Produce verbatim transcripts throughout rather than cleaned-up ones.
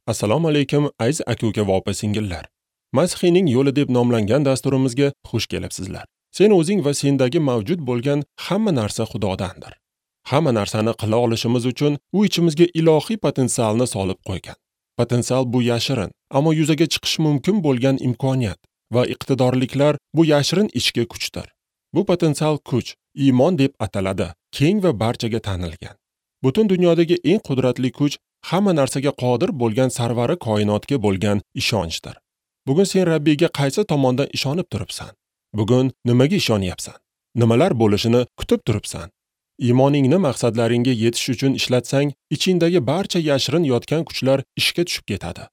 Assalomu alaykum aziz aka-uka va opa-singillar. Masihiyning yo'li deb nomlangan dasturimizga xush kelibsizlar. Sen o'zing va sendagi mavjud bo'lgan hamma narsa Xudodandir. Hamma narsani qila olishimiz uchun u ichimizga ilohiy potensialni solib qo'ygan. Potensial bu yashirin, ammo yuzaga chiqishi mumkin bo'lgan imkoniyat va iqtidorliklar bu yashirin ichki kuchdir. Bu potensial kuch iymon deb ataladi, keng va barchaga tanilgan. Butun dunyodagi eng qudratli kuch hamma narsaga qodir bo'lgan sarvari koinotga bo'lgan ishonchdir. Bugun sen Rabbiyga qaysi tomondan ishonib turibsan? Bugun nimaga ishonyapsan? Nimalar bo'lishini kutib turibsan? Iymoningni maqsadlaringga yetish uchun ishlatsang, ichingdagi barcha yashirin yotgan kuchlar ishga tushib ketadi.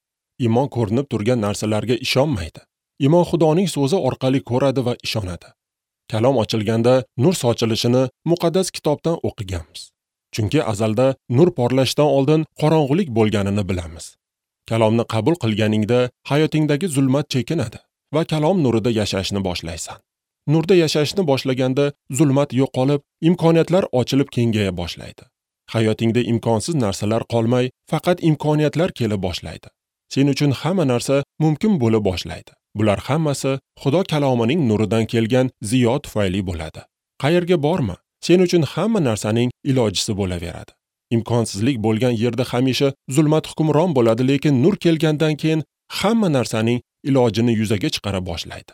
Iymon ko'rinib turgan narsalarga ishonmaydi. Iymon Xudoning so'zi orqali ko'radi va ishonadi. Kalom ochilganda nur sochilishini muqaddas kitobdan o'qiganmiz. Chunki azalda nur porlashdan oldin qorong'ulik bo'lganini bilamiz. Kalomni qabul qilganingda hayotingdagi zulmat chekinadi va kalom nurida yashashni boshlaysan. Nurda yashashni boshlaganda zulmat yo'qolib, imkoniyatlar ochilib kengaya boshlaydi. Hayotingda imkonsiz narsalar qolmay, faqat imkoniyatlar kela boshlaydi. Sen uchun hamma narsa mumkin bo'la boshlaydi. Bular hammasi Xudo kalomining nuridan kelgan ziyo tufayli bo'ladi. Qayerga borma, sen uchun hamma narsaning ilojisi bo'laveradi. Imkonsizlik bo'lgan yerda hamisha zulmat hukmron bo'ladi, lekin nur kelgandan keyin hamma narsaning ilojini yuzaga chiqara boshlaydi.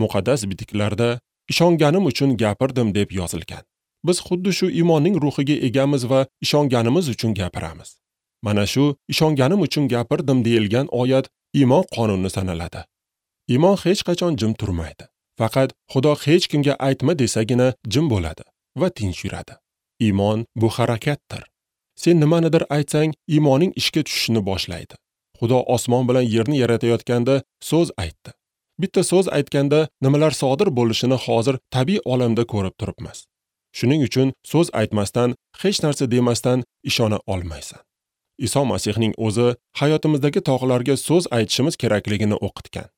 Muqaddas bitiklarda ishonganim uchun gapirdim deb yozilgan. Biz xuddi shu iymonning ruhiga egamiz va ishonganimiz uchun gapiramiz. Mana shu ishonganim uchun gapirdim deyilgan oyat iymon qonuni sanaladi. Iymon hech qachon jim turmaydi. Faqat Xudo hech kimga aytma desagina jim bo'ladi va tinch yuradi. Iymon bu harakatdir. Sen nimanidir aytsang, iymoning ishga tushishini boshlaydi. Xudo osmon bilan yerni yaratayotganda so'z aytdi. Bitta so'z aytganda nimalar sodir bo'lishini hozir tabiiy olamda ko'rib turibmiz. Shuning uchun so'z aytmasdan, hech narsa demasdan ishona olmaysan. Iso Masihning o'zi hayotimizdagi tog'larga so'z aytishimiz kerakligini o'qitgan.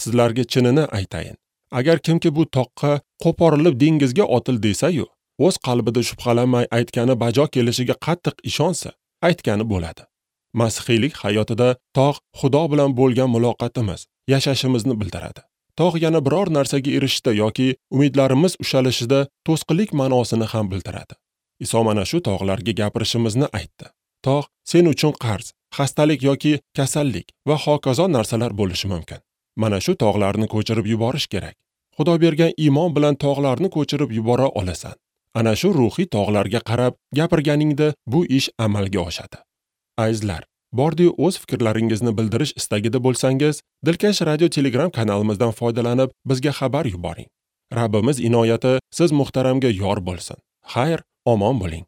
Sizlarga chinini aytayin. Agar kimki bu toqqa qo'porilib dengizga otil desa-yu, o'z qalbida shubhalanmay aytgani bajo kelishiga qattiq ishonsa, aytgani bo'ladi. Masihiylik hayotida tog' Xudo bilan bo'lgan muloqotimiz, yashashimizni bildiradi. Tog' yana biror narsaga erishishda yoki umidlarimiz ushalishida to'sqinlik ma'nosini ham bildiradi. Iso mana shu tog'larga gapirishimizni aytdi. Tog' sen uchun qarz, xastalik yoki kasallik va hokazo narsalar bo'lishi mumkin. Mana shu tog'larni ko'chirib yuborish kerak. Xudo bergan iymon bilan tog'larni ko'chirib yubora olasan. Ana shu ruhiy tog'larga qarab gapirganingda bu ish amalga oshadi. Azizlar, bordi-yu o'z fikrlaringizni bildirish istagida bo'lsangiz, Dilkash radio Telegram kanalimizdan foydalanib bizga xabar yuboring. Rabbimiz inoyati siz muhtaramga yor bo'lsin. Xayr, omon bo'ling.